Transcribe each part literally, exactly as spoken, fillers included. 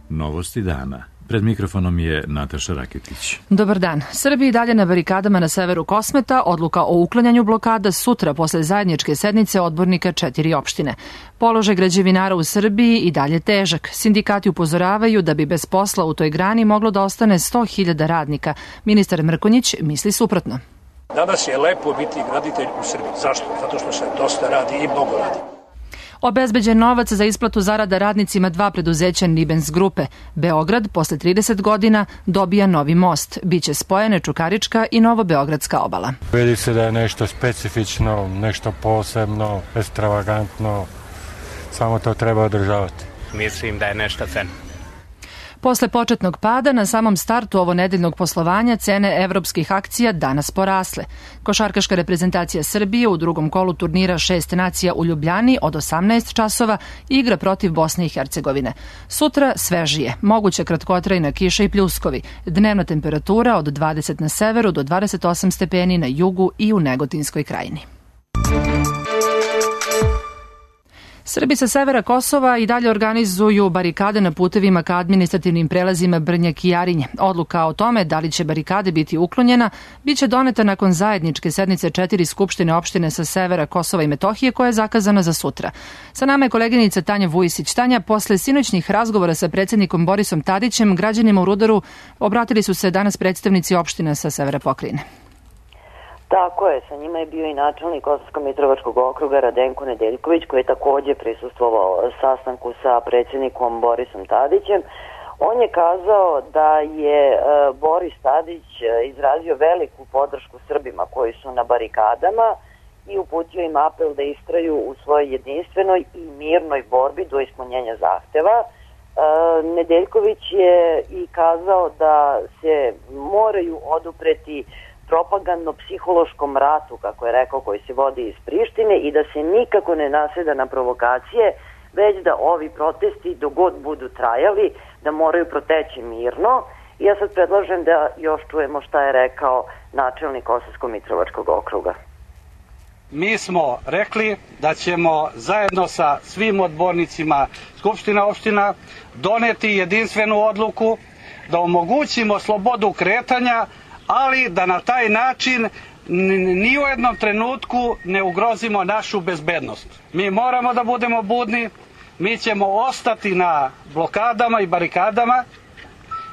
Novosti dana. Pred mikrofonom je Nataša Raketić. Dobar dan. Srbiji dalje na barikadama na severu Kosmeta, odluka o uklanjanju blokada sutra posle zajedničke sednice odbornika četiri opštine. Položaj građevinara u Srbiji i dalje težak. Sindikati upozoravaju da bi bez posla u toj grani moglo da ostane sto hiljada radnika. Ministar Mrkonjić misli suprotno. Danas je lepo biti graditelj u Srbiji. Zašto? Zato što se dosta radi i mnogo radi. Obezbeđen novac za isplatu zarada radnicima dva preduzeća Nibens grupe. Beograd posle trideset godina dobija novi most. Biće spojene Čukarička i Novobeogradska obala. Vidi se da je nešto specifično, nešto posebno, ekstravagantno. Samo to treba održavati. Mislim da je nešto feno. Posle početnog pada, na samom startu ovo nedeljnog poslovanja cene evropskih akcija danas porasle. Košarkaška reprezentacija Srbije u drugom kolu turnira Šest nacija u Ljubljani od osamnaest časova igra protiv Bosne i Hercegovine. Sutra svežije, moguća kratkotrajna kiša i pljuskovi, dnevna temperatura od dvadeset na severu do dvadeset osam stepeni na jugu i u Negotinskoj krajini. Srbi sa severa Kosova i dalje organizuju barikade na putevima ka administrativnim prelazima Brnjak i Jarinje. Odluka o tome da li će barikade biti uklonjena biće doneta nakon zajedničke sednice četiri skupštine opštine sa severa Kosova i Metohije koja je zakazana za sutra. Sa nama je koleginica Tanja Vujisić. Tanja, posle sinoćnih razgovora sa predsjednikom Borisom Tadićem, građanima u Rudaru obratili su se danas predstavnici opština sa severa pokrajine. Tako je, sa njima je bio i načelnik Kosovsko-Mitrovačkog okruga Radenko Nedeljković, koji je također prisustvovao sastanku sa predsjednikom Borisom Tadićem. On je kazao da je Boris Tadić izrazio veliku podršku Srbima koji su na barikadama i uputio im apel da istraju u svojoj jedinstvenoj i mirnoj borbi do ispunjenja zahteva. Nedeljković je i kazao da se moraju odupreti propagandno-psihološkom ratu, kako je rekao, koji se vodi iz Prištine i da se nikako ne naseda na provokacije, već da ovi protesti, dogod budu trajali, da moraju proteći mirno. I ja sad predlažem da još čujemo šta je rekao načelnik Kosovsko-Mitrovačkog okruga. Mi smo rekli da ćemo zajedno sa svim odbornicima Skupština opština doneti jedinstvenu odluku da omogućimo slobodu kretanja, ali da na taj način ni u jednom trenutku ne ugrozimo našu bezbednost. Mi moramo da budemo budni, mi ćemo ostati na blokadama i barikadama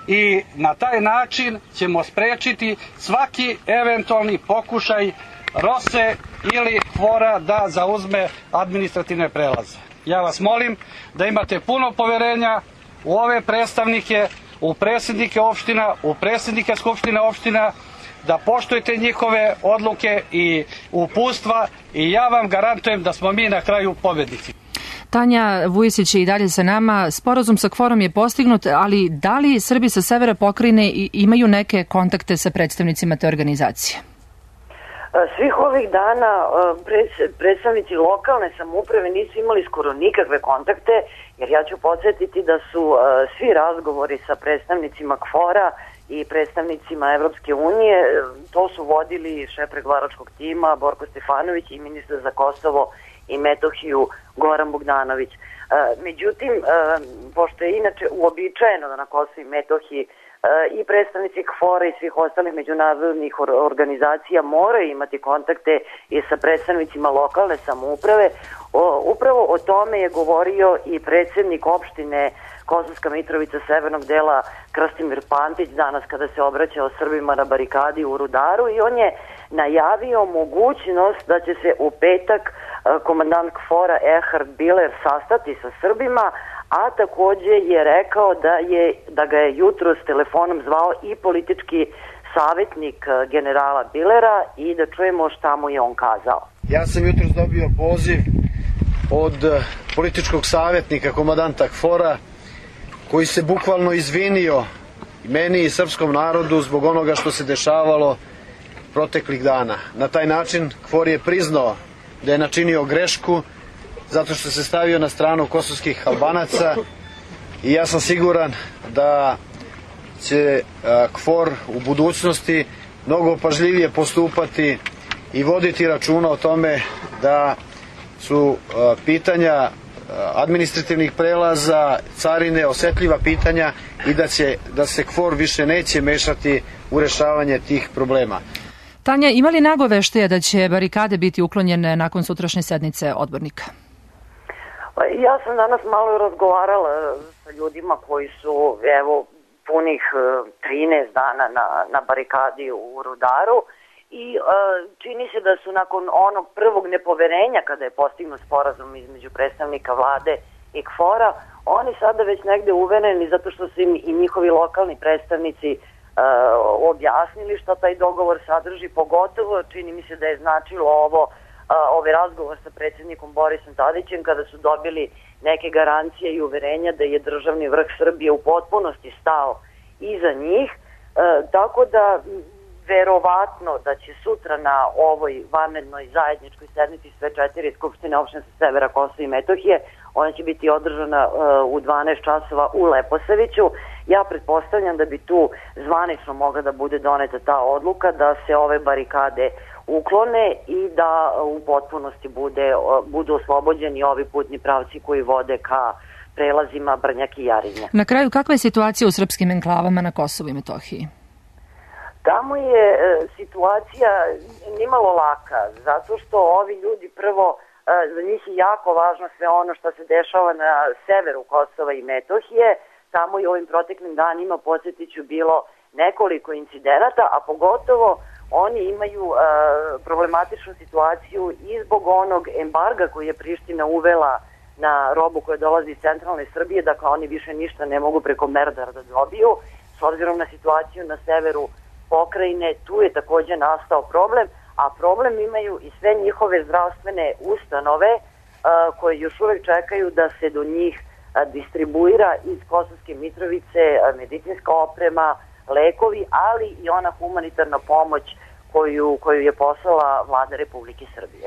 i na taj način ćemo sprečiti svaki eventualni pokušaj Rose ili Hvora da zauzme administrativne prelaze. Ja vas molim da imate puno poverenja u ove predstavnike, u predsjednike opština, u predsjednike skupštine opština, da poštujete njihove odluke i uputstva i ja vam garantujem da smo mi na kraju pobednici. Tanja Vujisić je i dalje sa nama. Sporazum sa Kvorom je postignut, ali da li Srbi sa severa pokrajine imaju neke kontakte sa predstavnicima te organizacije? Svih ovih dana predstavnici lokalne samouprave nisu imali skoro nikakve kontakte, jer ja ću podsjetiti da su svi razgovori sa predstavnicima Kvora i predstavnicima Evropske unije, to su vodili šef pregovaračkog tima Borko Stefanović i ministar za Kosovo i Metohiju Goran Bogdanović. Međutim, pošto je inače uobičajeno da na Kosovu i Metohiji i predstavnici Kvora i svih ostalih međunarodnih organizacija moraju imati kontakte i sa predstavnicima lokalne samouprave. O, upravo o tome je govorio i predsjednik opštine Kosovska Mitrovica severnog dela Krstimir Pantić danas kada se obraćao Srbima na barikadi u Rudaru i on je najavio mogućnost da će se u petak komandant Kvora Erhard Biler sastati sa Srbima, a također je rekao da, je, da ga je jutro s telefonom zvao i politički savjetnik generala Bilera i da čujemo šta mu je on kazao. Ja sam jutro dobio poziv od političkog savjetnika komandanta Kvora koji se bukvalno izvinio meni i srpskom narodu zbog onoga što se dešavalo proteklih dana. Na taj način Kvor je priznao da je načinio grešku zato što se stavio na stranu kosovskih Albanaca i ja sam siguran da će Kvor u budućnosti mnogo pažljivije postupati i voditi računa o tome da su pitanja administrativnih prelaza, carine, osetljiva pitanja i da, će, da se KFOR više neće mešati u rešavanje tih problema. Tanja, ima li nagoveštaja da će barikade biti uklonjene nakon sutrašnje sednice odbornika? Ja sam danas malo razgovarala sa ljudima koji su, evo, punih trinaest dana na, na barikadi u Rudaru i e, čini se da su nakon onog prvog nepoverenja kada je postignut sporazum između predstavnika vlade i KFOR-a, oni sada već negde uvereni zato što su im i njihovi lokalni predstavnici e, objasnili šta taj dogovor sadrži, pogotovo čini mi se da je značilo ovo ovaj razgovor sa predsjednikom Borisom Tadićem kada su dobili neke garancije i uverenja da je državni vrh Srbije u potpunosti stao iza njih, e, tako da verovatno da će sutra na ovoj vanrednoj zajedničkoj sednici sve četiri skupštine opštine sa severa Kosova i Metohije, ona će biti održana e, u dvanaest časova u Leposaviću. Ja pretpostavljam da bi tu zvanično mogla da bude doneta ta odluka da se ove barikade uklone i da u potpunosti bude, budu oslobođeni ovi putni pravci koji vode ka prelazima Brnjak i Jarinje. Na kraju, kakva je situacija u srpskim enklavama na Kosovu i Metohiji? Tamo je e, situacija nimalo laka, zato što ovi ljudi prvo, e, za njih je jako važno sve ono što se dešava na severu Kosova i Metohije. Tamo i ovim proteklim danima, podsjetit ću, bilo nekoliko incidenata, a pogotovo oni imaju uh, problematičnu situaciju i zbog onog embarga koji je Priština uvela na robu koja dolazi iz centralne Srbije, dakle oni više ništa ne mogu preko Merdara da dobiju. S obzirom na situaciju na severu pokrajine, tu je takođe nastao problem, a problem imaju i sve njihove zdravstvene ustanove uh, koje još uvek čekaju da se do njih uh, distribuira iz Kosovske Mitrovice uh, medicinska oprema, lekovi, ali i ona humanitarna pomoć koju, koju je poslala vlada Republike Srbije.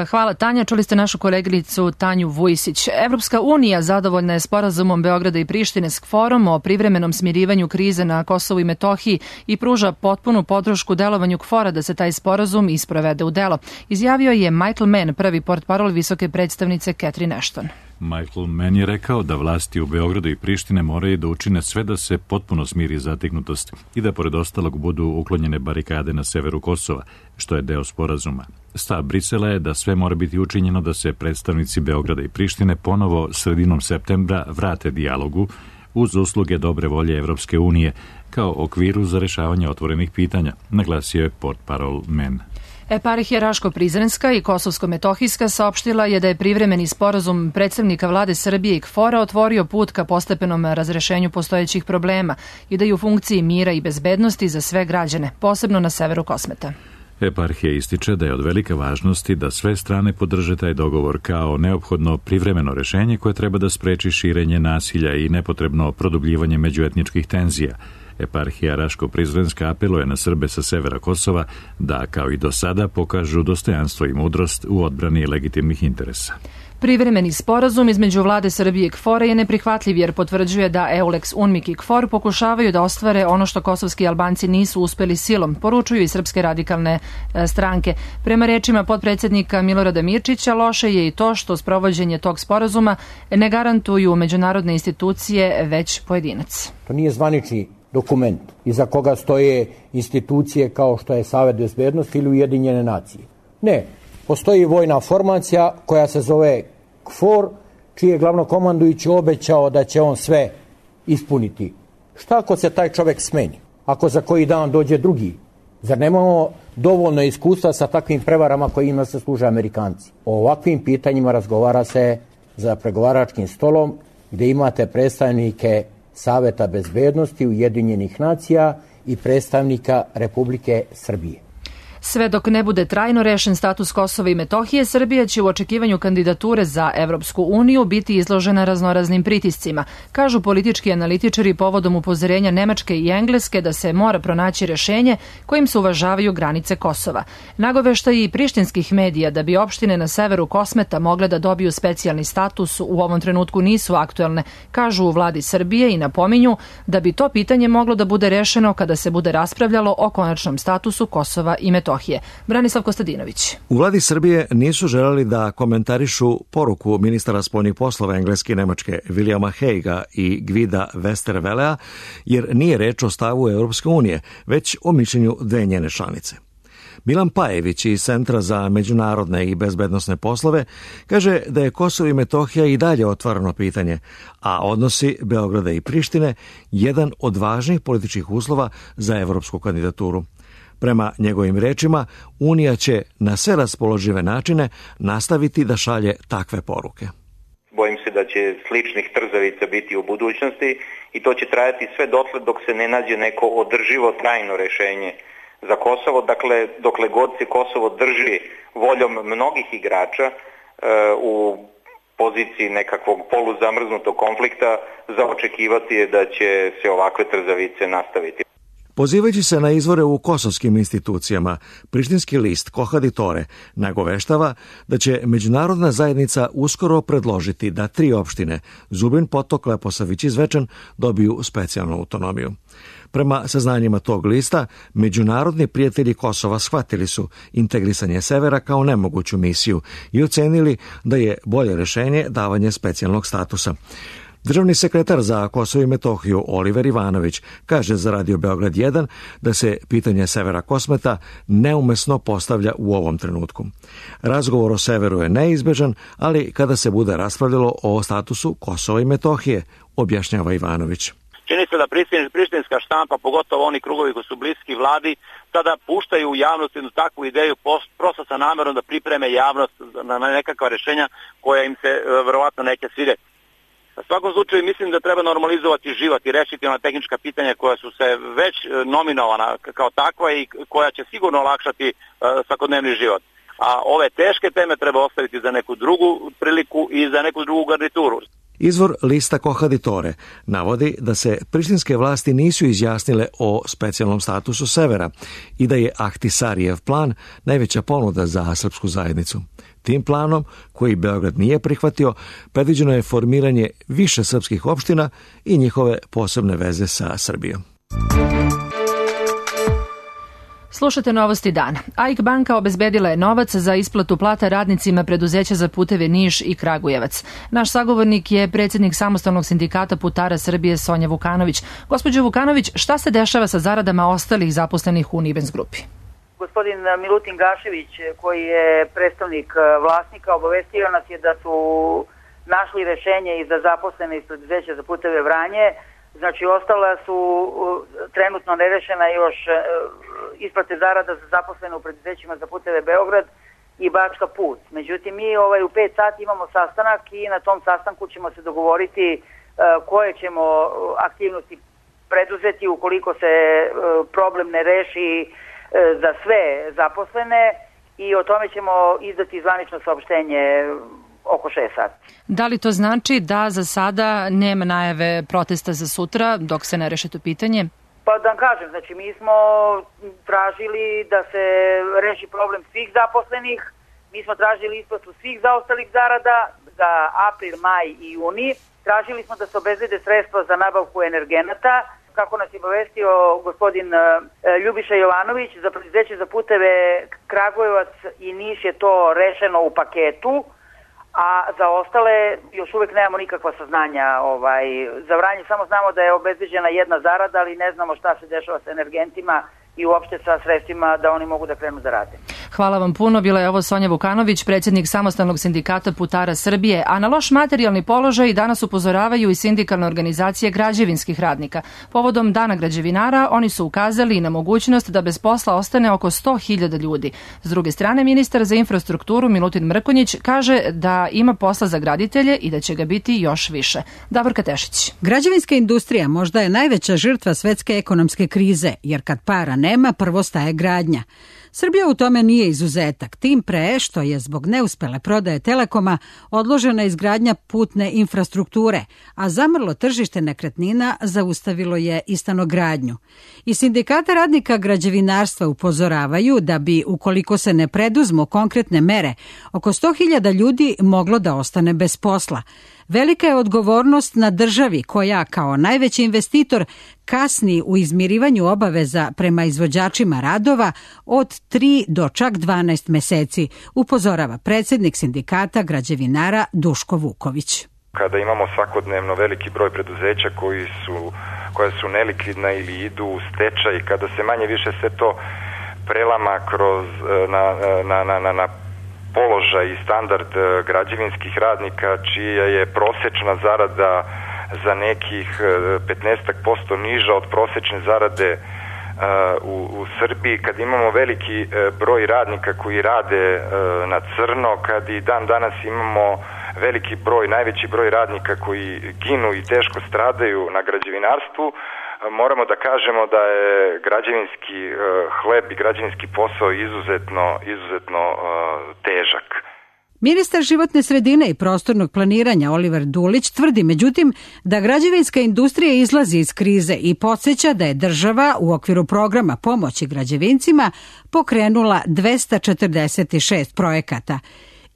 Hvala, Tanja. Čuli ste našu koleginicu Tanju Vujsić. Evropska unija zadovoljna je sporazumom Beograda i Prištine s KFOR-om o privremenom smirivanju krize na Kosovu i Metohiji i pruža potpunu podršku delovanju KFOR-a da se taj sporazum isprovede u delo. Izjavio je Michael Mann, prvi portparol visoke predstavnice Catherine Ashton. Michael Mann je rekao da vlasti u Beogradu i Prištine moraju da učine sve da se potpuno smiri zategnutost i da pored ostalog budu uklonjene barikade na severu Kosova, što je deo sporazuma. Stav Brisela je da sve mora biti učinjeno da se predstavnici Beograda i Prištine ponovo sredinom septembra vrate dijalogu uz usluge dobre volje Evropske unije kao okviru za rešavanje otvorenih pitanja, naglasio je portparol Mann. Eparhija Raško-Prizrenska i Kosovsko-Metohijska saopštila je da je privremeni sporazum predstavnika vlade Srbije i KFOR-a otvorio put ka postepenom razrešenju postojećih problema i da je u funkciji mira i bezbednosti za sve građane, posebno na severu Kosmeta. Eparhija ističe da je od velike važnosti da sve strane podrže taj dogovor kao neophodno privremeno rešenje koje treba da spreči širenje nasilja i nepotrebno produbljivanje međuetničkih tenzija. Eparhija Raško-Prizrenska apeluje na Srbe sa severa Kosova da, kao i do sada, pokažu dostojanstvo i mudrost u odbrani legitimnih interesa. Privremeni sporazum između vlade Srbije i KFOR-a je neprihvatljiv jer potvrđuje da Eulex, UNMIK i KFOR pokušavaju da ostvare ono što kosovski Albanci nisu uspeli silom, poručuju i srpske radikalne stranke. Prema rečima potpredsjednika Milorada Mirčića, loše je i to što sprovođenje tog sporazuma ne garantuju međunarodne institucije, već pojedinac. To nije zvanični dokument iza koga stoje institucije kao što je Savet bezbednosti ili Ujedinjene nacije. Ne, postoji vojna formacija koja se zove KFOR, čiji je glavnokomandujući obećao da će on sve ispuniti. Šta ako se taj čovek smeni? Ako za koji dan dođe drugi? Zar nemamo dovoljno iskustva sa takvim prevarama kojima se služe Amerikanci? O ovakvim pitanjima razgovara se za pregovaračkim stolom gde imate predstavnike Saveta bezbednosti Ujedinjenih nacija i predstavnika Republike Srbije. Sve dok ne bude trajno rešen status Kosova i Metohije, Srbija će u očekivanju kandidature za Evropsku uniju biti izložena raznoraznim pritiscima, kažu politički analitičari povodom upozorenja Nemačke i Engleske da se mora pronaći rešenje kojim se uvažavaju granice Kosova. Nagoveštaji i prištinskih medija da bi opštine na severu Kosmeta mogle da dobiju specijalni status u ovom trenutku nisu aktuelne, kažu u vladi Srbije i napominju da bi to pitanje moglo da bude rešeno kada se bude raspravljalo o konačnom statusu Kosova i Metohije. Metohije. Branislav Kostadinović. U vladi Srbije nisu želeli da komentarišu poruku ministara spoljnih poslova Engleske i Nemačke Williama Haguea i Gvida Westervelea, jer nije reč o stavu Europske unije, već o mišljenju dve njene članice. Milan Pajević iz Centra za međunarodne i bezbednosne poslove kaže da je Kosovo i Metohija i dalje otvoreno pitanje, a odnosi Beograda i Prištine jedan od važnih političkih uslova za evropsku kandidaturu. Prema njegovim rečima, Unija će na sve raspoložive načine nastaviti da šalje takve poruke. Bojim se da će sličnih trzavica biti u budućnosti i to će trajati sve dotle dok se ne nađe neko održivo trajno rešenje za Kosovo. Dakle, dokle god se Kosovo drži voljom mnogih igrača e, u poziciji nekakvog poluzamrznutog konflikta, za očekivati je da će se ovakve trzavice nastaviti. Pozivajući se na izvore u kosovskim institucijama, prištinski list Kohaditore nagoveštava da će međunarodna zajednica uskoro predložiti da tri opštine, Zubin Potok, Leposavić i Zvečan, dobiju specijalnu autonomiju. Prema saznanjima tog lista, međunarodni prijatelji Kosova shvatili su integrisanje severa kao nemoguću misiju i ocenili da je bolje rešenje davanje specijalnog statusa. Državni sekretar za Kosovo i Metohiju Oliver Ivanović kaže za Radio Beograd jedan da se pitanje severa Kosmeta neumesno postavlja u ovom trenutku. Razgovor o severu je neizbežan, ali kada se bude raspravljalo o statusu Kosova i Metohije, objašnjava Ivanović. Čini se da prištinska štampa, pogotovo oni krugovi koji su bliski vladi, sada puštaju u javnost jednu takvu ideju prosto sa namerom da pripreme javnost na nekakva rešenja koja im se verovatno neće svidjeti. U svakom slučaju mislim da treba normalizovati život i rešiti ona tehnička pitanja koja su se već nominovana kao takva i koja će sigurno olakšati svakodnevni život. A ove teške teme treba ostaviti za neku drugu priliku i za neku drugu garnituru. Izvor lista Kohaditore navodi da se prištinske vlasti nisu izjasnile o specijalnom statusu severa i da je Ahtisarijev plan najveća ponuda za srpsku zajednicu. Tim planom, koji Beograd nije prihvatio, predviđeno je formiranje više srpskih opština i njihove posebne veze sa Srbijom. Slušate Novosti dana. A I K banka obezbedila je novac za isplatu plata radnicima preduzeća za puteve Niš i Kragujevac. Naš sagovornik je predsjednik Samostalnog sindikata putara Srbije Sonja Vukanović. Gospođo Vukanović, šta se dešava sa zaradama ostalih zaposlenih u Nibens grupi? Gospodin Milutin Gašević, koji je predstavnik vlasnika, obavestio nas je da su našli rešenje i za zaposlene iz preduzeća za puteve Vranje. Znači, ostala su trenutno nerešena još isplate zarada za zaposlene u preduzećima za puteve Beograd i Bačka put. Međutim, mi ovaj, u pet sati imamo sastanak i na tom sastanku ćemo se dogovoriti koje ćemo aktivnosti preduzeti ukoliko se problem ne reši za sve zaposlene i o tome ćemo izdati zvanično saopštenje oko šest sati. Da li to znači da za sada nema najave protesta za sutra dok se ne reši to pitanje? Pa da vam kažem, znači mi smo tražili da se reši problem svih zaposlenih, mi smo tražili isplatu svih zaostalih zarada za april, maj i juni, tražili smo da se obezbede sredstva za nabavku energenata, kako nas je obavestio gospodin Ljubiša Jovanović, za preduzeće za puteve Kragujevac i Niš je to rešeno u paketu, a za ostale još uvek nemamo nikakva saznanja. Ovaj, za Vranje samo znamo da je obezbeđena jedna zarada, ali ne znamo šta se dešava sa energentima i uopšte sa sredstvima da oni mogu da krenu da rade. Hvala vam puno. Bila je ovo Sonja Vukanović, predsjednik Samostalnog sindikata putara Srbije. A na loš materijalni položaj danas upozoravaju i sindikalne organizacije građevinskih radnika. Povodom Dana građevinara oni su ukazali i na mogućnost da bez posla ostane oko sto hiljada ljudi. S druge strane, ministar za infrastrukturu Milutin Mrkonjić kaže da ima posla za graditelje i da će ga biti još više. Davorka Tešić. Građevinska industrija možda je najveća žrtva svetske ekonomske krize, jer kad para nema, prvo staje gradnja. Srbija u tome nije izuzetak, tim pre što je zbog neuspele prodaje Telekoma odložena izgradnja putne infrastrukture, a zamrlo tržište nekretnina zaustavilo je i stanogradnju. I sindikata radnika građevinarstva upozoravaju da bi, ukoliko se ne preduzmu konkretne mere, oko sto hiljada ljudi moglo da ostane bez posla. Velika je odgovornost na državi koja kao najveći investitor kasni u izmirivanju obaveza prema izvođačima radova od tri do čak dvanaest meseci, upozorava predsjednik sindikata građevinara Duško Vuković. Kada imamo svakodnevno veliki broj preduzeća koji su, koja su nelikvidna ili idu u stečaj, kada se manje više sve to prelama kroz, na, na, na, na, na položaj i standard građevinskih radnika, čija je prosečna zarada za nekih petnaest posto niža od prosečne zarade u, u Srbiji, kad imamo veliki broj radnika koji rade na crno, kad i dan danas imamo veliki broj, najveći broj radnika koji ginu i teško stradaju na građevinarstvu, moramo da kažemo da je građevinski hleb i građevinski posao izuzetno, izuzetno težak. Ministar životne sredine i prostornog planiranja Oliver Dulić tvrdi međutim da građevinska industrija izlazi iz krize i podsjeća da je država u okviru programa pomoći građevincima pokrenula dvesta četrdeset šest projekata.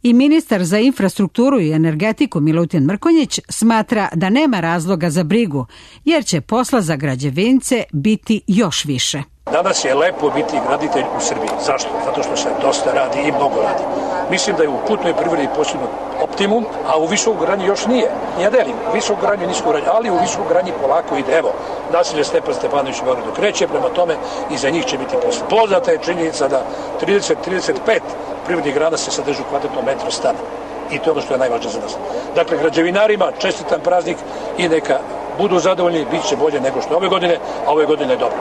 I ministar za infrastrukturu i energetiku Milutin Mrkonjić smatra da nema razloga za brigu, jer će posla za građevince biti još više. Danas je lepo biti graditelj u Srbiji. Zašto? Zato što se dosta radi i mnogo radi. Mislim da je u putnoj privredi postignut optimum, a u visokogradnji još nije. Ja delim, u visokogradnji i niskogradnji, ali u visokogradnji polako ide. Evo, naselje Stepan Stepanović u Beogradu kreće, prema tome i za njih će biti posla. Poznata je činjenica da trideset do trideset pet privrednih grana se sadrži u kvadratnom metru stana. I to je ono što je najvažnije za nas. Dakle, građevinarima čestitam praznik i neka budu zadovoljni, bit će bolje nego što ove godine, a ove godine je dobro.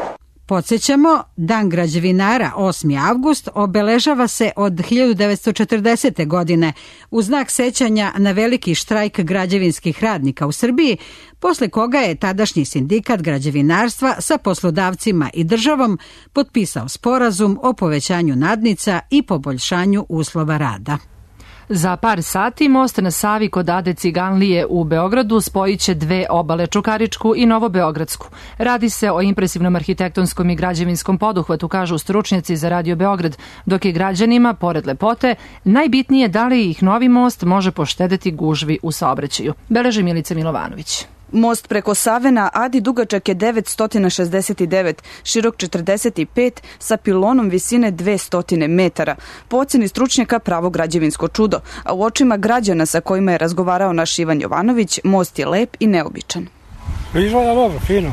Podsjećamo, Dan građevinara osmi avgust obeležava se od hiljadu devetsto četrdesete. godine u znak sećanja na veliki štrajk građevinskih radnika u Srbiji, posle koga je tadašnji sindikat građevinarstva sa poslodavcima i državom potpisao sporazum o povećanju nadnica i poboljšanju uslova rada. Za par sati most na Savi kod Ade Ciganlije u Beogradu spojit će dve obale, Čukaričku i Novobeogradsku. Radi se o impresivnom arhitektonskom i građevinskom poduhvatu, kažu stručnjaci za Radio Beograd, dok je građanima, pored lepote, najbitnije da li ih novi most može poštedeti gužvi u saobraćaju. Beleži Milica Milovanović. Most preko Save na Adi dugačak je devetsto šezdeset devet, širok četrdeset pet, sa pilonom visine dvesta metara. Po oceni stručnjaka pravo građevinsko čudo, a u očima građana sa kojima je razgovarao naš Ivan Jovanović, most je lep i neobičan. Izgleda dobro, fino.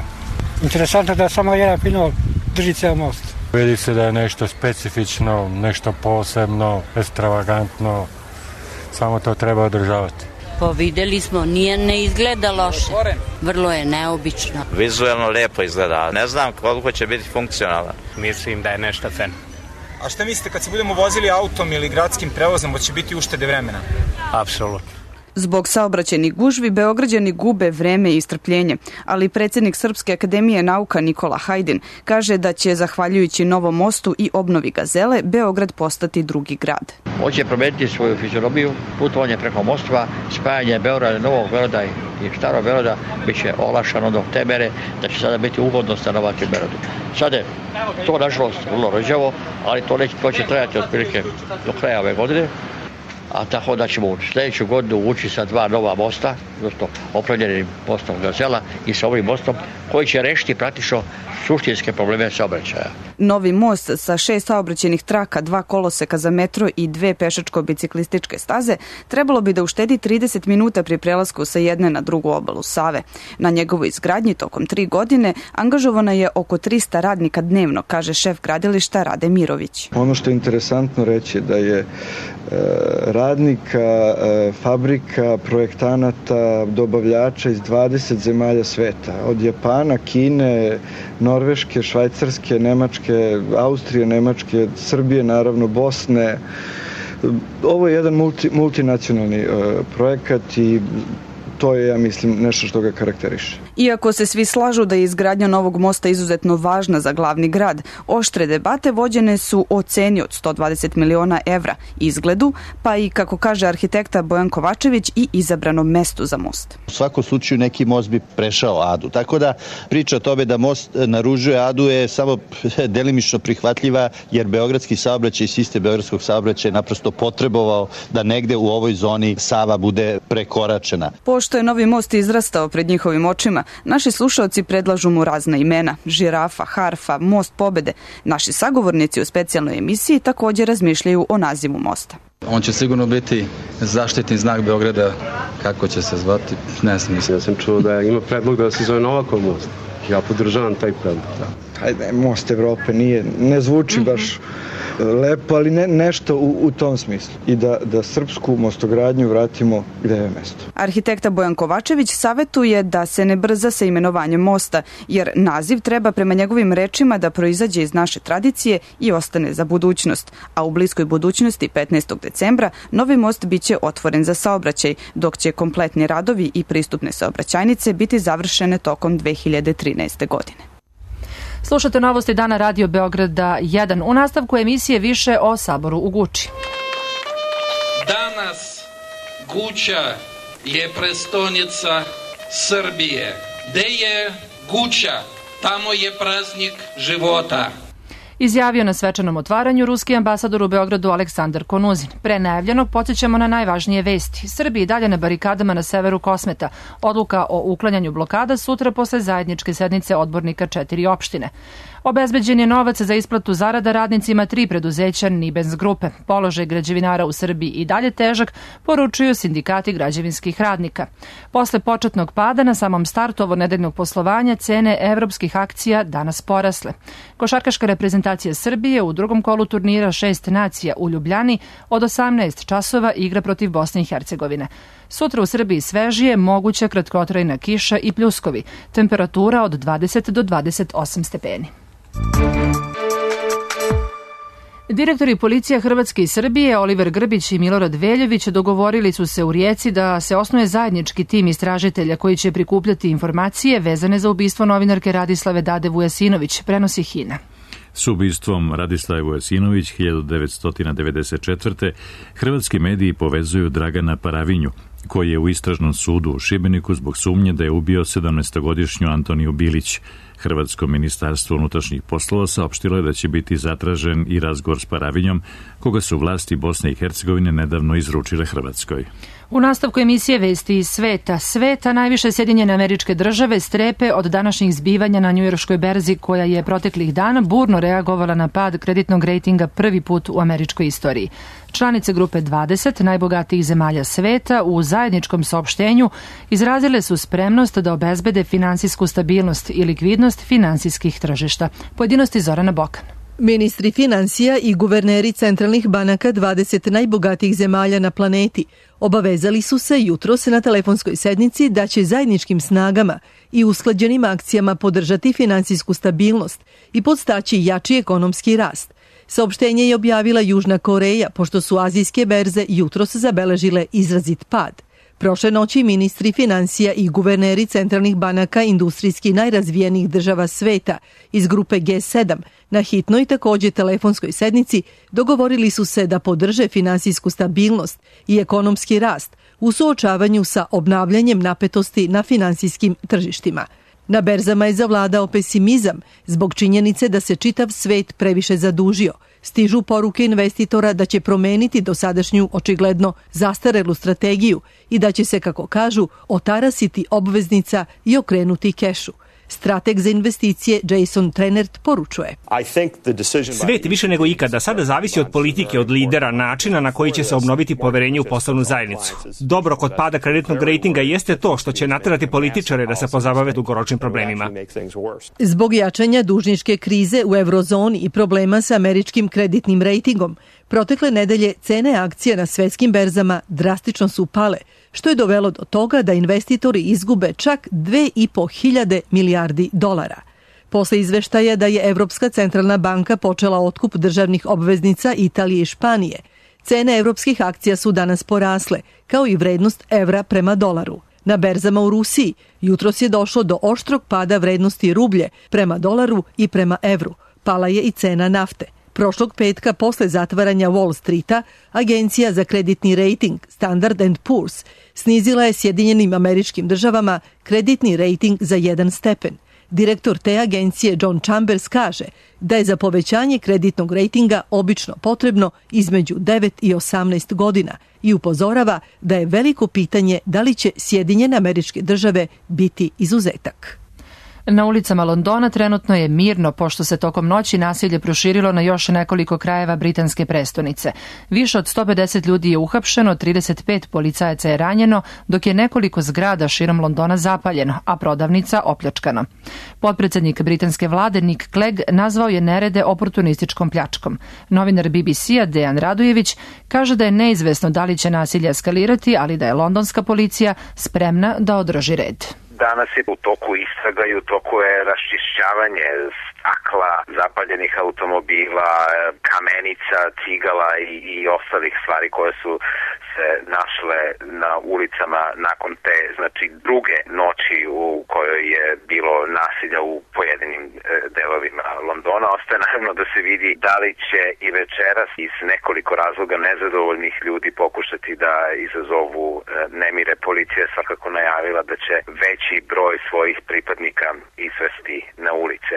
Interesantno da samo jedan pinol drži ceo most. Vidi se da je nešto specifično, nešto posebno, ekstravagantno, samo to treba održavati. Pa videli smo, nije, ne izgleda loše, vrlo je neobično. Vizualno lepo izgleda, ne znam koliko će biti funkcionalan. Mislim da je nešto fen. A šta mislite kad se budemo vozili autom ili gradskim prevozom, će biti uštede vremena? Apsolutno. Zbog saobraćajnih gužvi Beograđani gube vreme i strpljenje, ali predsjednik Srpske akademije nauka Nikola Hajdin kaže da će, zahvaljujući novom mostu i obnovi Gazele, Beograd postati drugi grad. On će promeniti svoju fizionomiju, putovanje preko mostova, spajanje Beograda, Novog Beograda i Starog Beograda biće olakšano do te mere da će sada biti ugodno stanovati u Beogradu. Sada je to nažalost vrlo rđavo, ali to, neće, to će trajati otprilike do kraja ove godine. A tako da ćemo u sljedeću godinu ući sa dva nova mosta, odnosno opravljenim mostom Gazela i sa ovim mostom koji će rešiti praktično suštinske probleme saobraćaja. Novi most sa šest saobraćajnih traka, dva koloseka za metro i dve pešačko-biciklističke staze trebalo bi da uštedi trideset minuta pri prelasku sa jedne na drugu obalu Save. Na njegovoj izgradnji tokom tri godine angažovano je oko trista radnika dnevno, kaže šef gradilišta Rade Mirović. Ono što je interesantno reći da je radnika, fabrika, projektanata, dobavljača iz dvadeset zemalja sveta, od Japana, Kine, Norveške, Švajcarske, Nemačke, Austrije, Nemačke, Srbije, naravno, Bosne. Ovo je jedan multi, multinacionalni projekat i to je, ja mislim, nešto što ga karakteriše. Iako se svi slažu da je izgradnja novog mosta izuzetno važna za glavni grad, oštre debate vođene su o ceni od sto dvadeset miliona evra, izgledu, pa i, kako kaže arhitekta Bojan Kovačević, i izabranom mestu za most. U svakom slučaju neki most bi prešao Adu, tako da priča o tome da most naružuje Adu je samo delimično prihvatljiva, jer beogradski saobraćaj i sistem beogradskog saobraćaja je naprosto potrebovao da negde u ovoj zoni Sava bude prekoračena. Pošto što je novi most izrastao pred njihovim očima, naši slušaoci predlažu mu razna imena, žirafa, harfa, most pobede. Naši sagovornici u specijalnoj emisiji također razmišljaju o nazivu mosta. On će sigurno biti zaštitni znak Beograda, kako će se zvati, ne znam. Ja sam čuo da ima predlog da se zove Novakov most. Ja podržavam taj predlog. Da. Hajde, most Evrope nije, ne zvuči mm-hmm. baš lepo, ali ne, nešto u, u tom smislu. I da, da srpsku mostogradnju vratimo gde je mesto. Arhitekta Bojan Kovačević savetuje da se ne brza sa imenovanjem mosta, jer naziv treba prema njegovim rečima da proizađe iz naše tradicije i ostane za budućnost. A u bliskoj budućnosti, petnaestog decembra, novi most biće otvoren za saobraćaj, dok će kompletni radovi i pristupne saobraćajnice biti završene tokom dve hiljade trinaeste. godine. Slušate novosti dana Radio Beograda jedan. U nastavku emisije više o Saboru u Guči. Danas Guča je prestonica Srbije. Gde je Guča, tamo je praznik života. Izjavio na svečanom otvaranju ruski ambasador u Beogradu Aleksandar Konuzin. Pre najavljenog podsjećamo na najvažnije vesti. Srbiji dalje na barikadama na severu Kosmeta. Odluka o uklanjanju blokada sutra posle zajedničke sednice odbornika četiri opštine. Obezbeđen je novac za isplatu zarada radnicima tri preduzeća Nibens grupe. Položaj građevinara u Srbiji i dalje težak, poručuju sindikati građevinskih radnika. Posle početnog pada na samom startu ovonedeljnog poslovanja cene evropskih akcija danas porasle. Košarkaška reprezentacija Srbije u drugom kolu turnira Šest nacija u Ljubljani od osamnaest časova igra protiv Bosne i Hercegovine. Sutra u Srbiji svežije, moguća kratkotrajna kiša i pljuskovi. Temperatura od dvadeset do dvadeset osam stepeni. Direktori policija Hrvatske i Srbije, Oliver Grbić i Milorad Veljović, dogovorili su se u Rijeci da se osnuje zajednički tim istražitelja koji će prikupljati informacije vezane za ubistvo novinarke Radislave Dade Vujasinović, prenosi Hina. S ubistvom Radislave Vujasinović hiljadu devetsto devedeset četvrte. hrvatski mediji povezuju Dragana Paravinju, koji je u istražnom sudu u Šibeniku zbog sumnje da je ubio sedamnaestogodišnju Antoniju Bilić. Hrvatsko ministarstvo unutrašnjih poslova saopštilo je da će biti zatražen i razgovor s Paravinjom, koga su vlasti Bosne i Hercegovine nedavno izručile Hrvatskoj. U nastavku emisije Vesti iz sveta. Sveta, najviše Sjedinjene Američke Države, strepe od današnjih zbivanja na njujorškoj berzi, koja je proteklih dana burno reagovala na pad kreditnog rejtinga prvi put u američkoj istoriji. Članice grupe dvadeset najbogatijih zemalja sveta u zajedničkom saopštenju izrazile su spremnost da obezbede finansijsku stabilnost i likvidnost finansijskih tržišta. Pojedinosti Zorana Bokan. Ministri finansija i guverneri centralnih banaka dvadeset najbogatijih zemalja na planeti obavezali su se jutros na telefonskoj sednici da će zajedničkim snagama i usklađenim akcijama podržati finansijsku stabilnost i podstaći jači ekonomski rast. Saopštenje je objavila Južna Koreja, pošto su azijske berze jutros zabeležile izrazit pad. Prošle noći ministri finansija i guverneri centralnih banaka industrijski najrazvijenijih država sveta iz grupe G sedam na hitnoj također telefonskoj sednici dogovorili su se da podrže finansijsku stabilnost i ekonomski rast u suočavanju sa obnavljanjem napetosti na finansijskim tržištima. Na berzama je zavladao pesimizam zbog činjenice da se čitav svet previše zadužio. Stižu poruke investitora da će promeniti dosadašnju očigledno zastarelu strategiju i da će se, kako kažu, otarasiti obveznica i okrenuti kešu. Strateg za investicije Jason Trenert poručuje. Svet više nego ikada sada zavisi od politike, od lidera, načina na koji će se obnoviti poverenje u poslovnu zajednicu. Dobro kod pada kreditnog rejtinga jeste to što će naterati političare da se pozabave dugoročnim problemima. Zbog jačanja dužničke krize u eurozoni i problema sa američkim kreditnim rejtingom, protekle nedelje cene akcija na svetskim berzama drastično su pale, što je dovelo do toga da investitori izgube čak dve i po hiljade milijardi dolara. Posle izveštaja da je Evropska centralna banka počela otkup državnih obveznica Italije i Španije, cene evropskih akcija su danas porasle, kao i vrednost evra prema dolaru. Na berzama u Rusiji jutros je došlo do oštrog pada vrednosti rublje prema dolaru i prema evru. Pala je i cena nafte. Prošlog petka, posle zatvaranja Wall Streeta, agencija za kreditni rejting Standard and Poor's snizila je Sjedinjenim Američkim Državama kreditni rejting za jedan stepen. Direktor te agencije John Chambers kaže da je za povećanje kreditnog rejtinga obično potrebno između devet i osamnaest godina i upozorava da je veliko pitanje da li će Sjedinjene Američke Države biti izuzetak. Na ulicama Londona trenutno je mirno, pošto se tokom noći nasilje proširilo na još nekoliko krajeva britanske prestonice. Više od sto pedeset ljudi je uhapšeno, trideset pet policajaca je ranjeno, dok je nekoliko zgrada širom Londona zapaljeno, a prodavnica opljačkana. Potpredsednik britanske vlade Nick Clegg nazvao je nerede oportunističkom pljačkom. Novinar B B C-a Dejan Radojević kaže da je neizvesno da li će nasilje eskalirati, ali da je londonska policija spremna da održi red. Danas je u toku istraga i u toku je raščišćavanje stakla, zapaljenih automobila, kamenica, cigala i, i ostalih stvari koje su se našle na ulicama nakon te, znači druge noći u kojoj je bilo nasilja u pojedinim e, delovima Londona. Ostaje naravno da se vidi da li će i večeras iz nekoliko razloga nezadovoljnih ljudi pokušati da izazovu e, nemire. Policija je svakako najavila da će veći broj svojih pripadnika izvesti na ulice.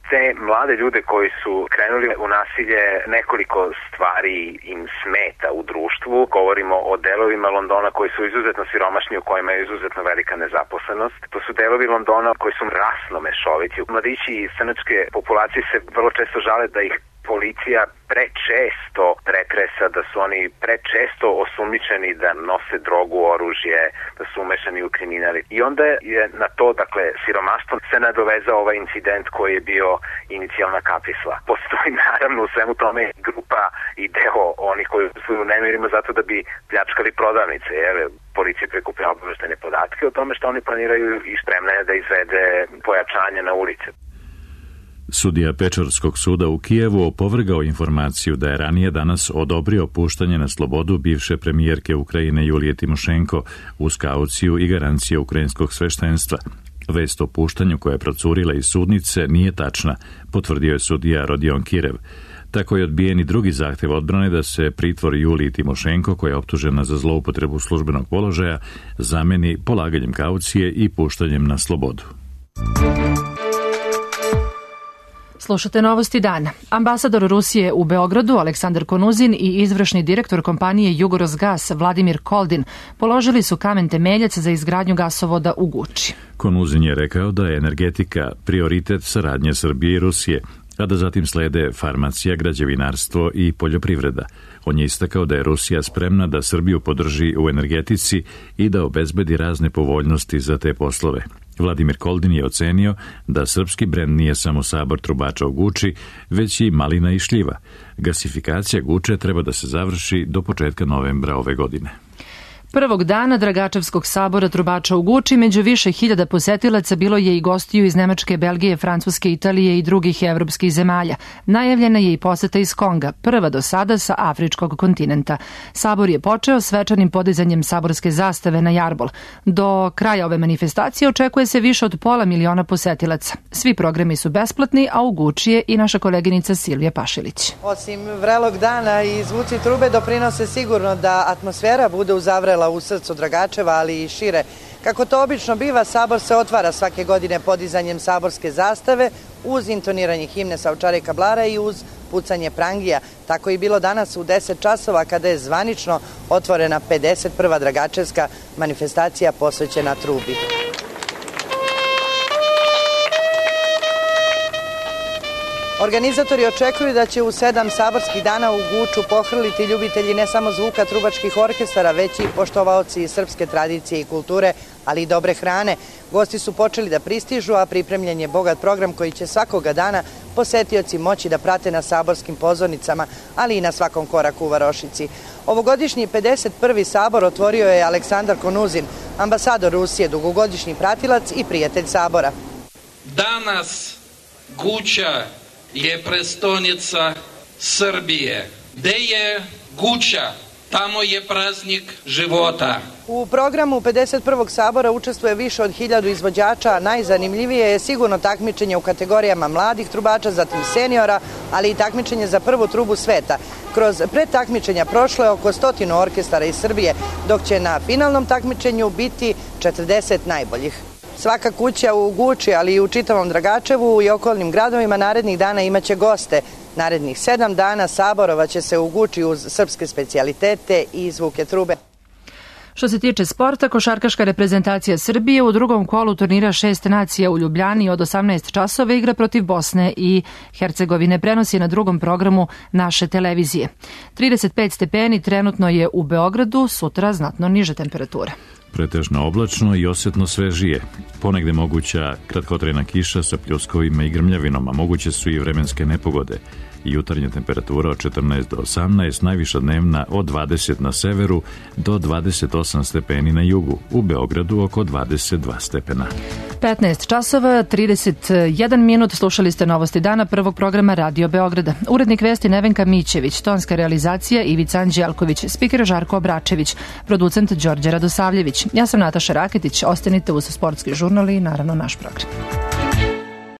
Te mlade ljude koji su krenuli u nasilje, nekoliko stvari im smeta u društvu. Govorimo o delovima Londona koji su izuzetno siromašni, u kojima je izuzetno velika nezaposlenost. To su delovi Londona koji su rasno mešoviti. Mladići iz crnačke populacije se vrlo često žale da ih policija prečesto pretresa, da su oni prečesto osumnjičeni da nose drogu, oružje, da su umešani u kriminali. I onda je na to, dakle, siromaštvo se nadovezao ovaj incident koji je bio inicijalna kapisla. Postoji naravno u svemu tome grupa i deo onih koji su u nemirima zato da bi pljačkali prodavnice. Jer policija prikuplja obaveštene podatke o tome što oni planiraju i spremna je da izvede pojačanje na ulice. Sudija Pečorskog suda u Kijevu opovrgao informaciju da je ranije danas odobrio puštanje na slobodu bivše premijerke Ukrajine Julije Timošenko uz kauciju i garancije ukrajinskog sveštenstva. Vest o puštanju koja je procurila iz sudnice nije tačna, potvrdio je sudija Rodion Kirev. Tako je odbijen i drugi zahtev odbrane da se pritvor Juliji Timošenko, koja je optužena za zloupotrebu službenog položaja, zameni polaganjem kaucije i puštanjem na slobodu. Slušate novosti dana. Ambasador Rusije u Beogradu Aleksandar Konuzin i izvršni direktor kompanije Jugorosgas Vladimir Koldin položili su kamen temeljac za izgradnju gasovoda u Guči. Konuzin je rekao da je energetika prioritet saradnje Srbije i Rusije, a da zatim slede farmacija, građevinarstvo i poljoprivreda. On je istakao da je Rusija spremna da Srbiju podrži u energetici i da obezbedi razne povoljnosti za te poslove. Vladimir Koldin je ocenio da srpski brend nije samo sabor trubača u Guči, već i malina i šljiva. Gasifikacija Guče treba da se završi do početka novembra ove godine. Prvog dana Dragačevskog sabora trubača u Guči među više hiljada posetilaca bilo je i gostiju iz Nemačke, Belgije, Francuske, Italije i drugih evropskih zemalja. Najavljena je i poseta iz Konga, prva do sada sa afričkog kontinenta. Sabor je počeo svečanim podizanjem saborske zastave na jarbol. Do kraja ove manifestacije očekuje se više od pola miliona posetilaca. Svi programi su besplatni, a u Guči je i naša koleginica Silvija Pašilić. Osim vrelog dana i zvuci trube doprinose sigurno da atmosfera bude uzavrela u srcu Dragačeva, ali i šire. Kako to obično biva, sabor se otvara svake godine podizanjem saborske zastave uz intoniranje himne sa Ovčare Kablara i uz pucanje prangija. Tako je bilo danas u deset časova kada je zvanično otvorena pedeset prva Dragačevska manifestacija posvećena trubi. Organizatori očekuju da će u sedam saborskih dana u Guču pohrliti ljubitelji ne samo zvuka trubačkih orkestara, već i poštovaoci srpske tradicije i kulture, ali i dobre hrane. Gosti su počeli da pristižu, a pripremljen je bogat program koji će svakoga dana posetioci moći da prate na saborskim pozornicama, ali i na svakom koraku u varošici. Ovogodišnji pedeset prvi sabor otvorio je Aleksandar Konuzin, ambasador Rusije, dugogodišnji pratilac i prijatelj sabora. Danas Guča je prestonica Srbije. Gde je Guča, tamo je praznik života. U programu pedeset prvog sabora učestvuje više od hiljadu izvođača, a najzanimljivije je sigurno takmičenje u kategorijama mladih trubača, zatim seniora, ali i takmičenje za prvu trubu sveta. Kroz predtakmičenja prošlo je oko stotinu orkestara iz Srbije, dok će na finalnom takmičenju biti četrdeset najboljih. Svaka kuća u Guči, ali i u čitavom Dragačevu i okolnim gradovima narednih dana imaće goste. Narednih sedam dana saborovaće se u Guči uz srpske specijalitete i zvuke trube. Što se tiče sporta, košarkaška reprezentacija Srbije u drugom kolu turnira šest nacija u Ljubljani od osamnaest časova igra protiv Bosne i Hercegovine. Prenosi na drugom programu naše televizije. trideset pet stepeni trenutno je u Beogradu, sutra znatno niže temperature. Pretežno oblačno i osjetno svežije. Ponegde moguća kratkotrajna kiša sa pljuskovima i grmljavinom, a moguće su i vremenske nepogode. Jutarnja temperatura od četrnaest do osamnaest, najviša dnevna od dvadeset na severu do dvadeset osam stepeni na jugu. U Beogradu oko dvadeset dva stepena. petnaest časova, trideset jedan minut, slušali ste novosti dana prvog programa Radio Beograda. Urednik vesti Nevenka Mićević, tonska realizacija Ivica Anđelković, spiker Žarko Obračević, producent Đorđe Radosavljević. Ja sam Nataša Raketić, ostanite uz sportski žurnal i naravno naš program.